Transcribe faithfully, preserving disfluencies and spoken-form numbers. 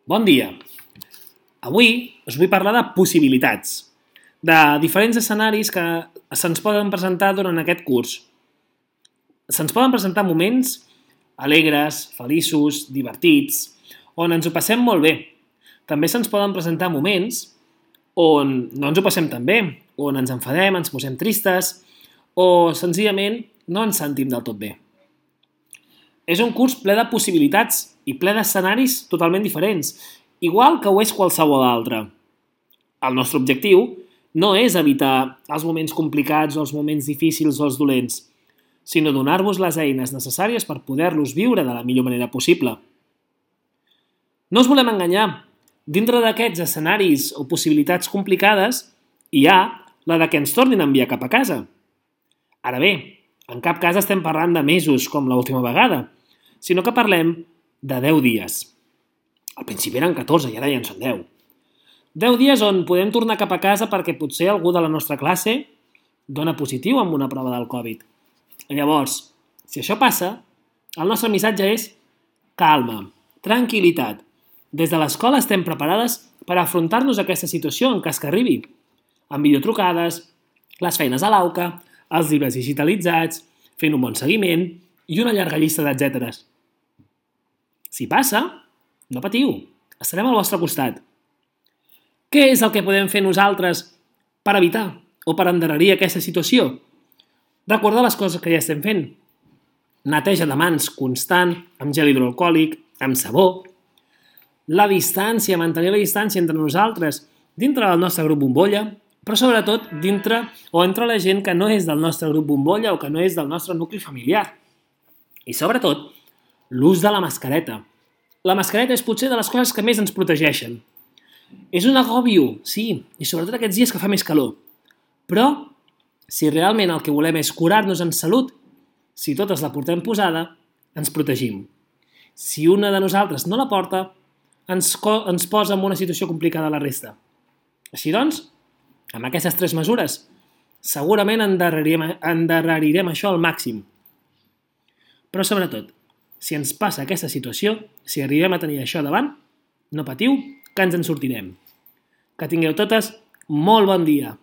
Bon dia! Avui us vull parlar de possibilitats, de diferents escenaris que se'ns poden presentar durant aquest curs. Se'ns poden presentar moments alegres, feliços, divertits, on ens ho passem molt bé. També se'ns poden presentar moments on no ens ho passem tan bé, on ens enfadem, ens posem tristes o senzillament no ens sentim del tot bé. És un curs ple de possibilitats i ple d'escenaris totalment diferents, igual que ho és qualsevol altre. El nostre objectiu no és evitar els moments complicats o els moments difícils o els dolents, sinó donar-vos les eines necessàries per poder-los viure de la millor manera possible. No us volem enganyar. Dintre d'aquests escenaris o possibilitats complicades hi ha la de que ens tornin a enviar cap a casa. Ara bé, en cap cas estem parlant de mesos com l'última vegada, sinó que parlem de deu dies. Al principi eren catorze i ara ja en són deu. deu dies on podem tornar cap a casa perquè potser algú de la nostra classe dona positiu amb una prova del Covid. Llavors, si això passa, el nostre missatge és calma, tranquil·litat. Des de l'escola estem preparades per afrontar-nos a aquesta situació en cas que arribi, amb videotrucades, les feines a l'auca, els llibres digitalitzats, fent un bon seguiment i una llarga llista d'etcèteres. Si passa, no patiu, estarem al vostre costat. Què és el que podem fer nosaltres per evitar o per endarrerir aquesta situació? Recordar les coses que ja estem fent. Neteja de mans constant, amb gel hidroalcohòlic, amb sabó. La distància, mantenir la distància entre nosaltres, dintre del nostre grup bombolla, però sobretot dintre o entre la gent que no és del nostre grup bombolla o que no és del nostre nucli familiar. I sobretot, l'ús de la mascareta. La mascareta és potser de les coses que més ens protegeixen. És un agòbio, sí, i sobretot aquests dies que fa més calor. Però, si realment el que volem és curar-nos en salut, si totes la portem posada, ens protegim. Si una de nosaltres no la porta, ens, ens posa en una situació complicada a la resta. Així doncs, amb aquestes tres mesures, segurament endarrerirem, endarrerirem això al màxim. Però sobretot, si ens passa aquesta situació, si arribem a tenir això davant, no patiu, que ens en sortirem. Que tingueu totes molt bon dia.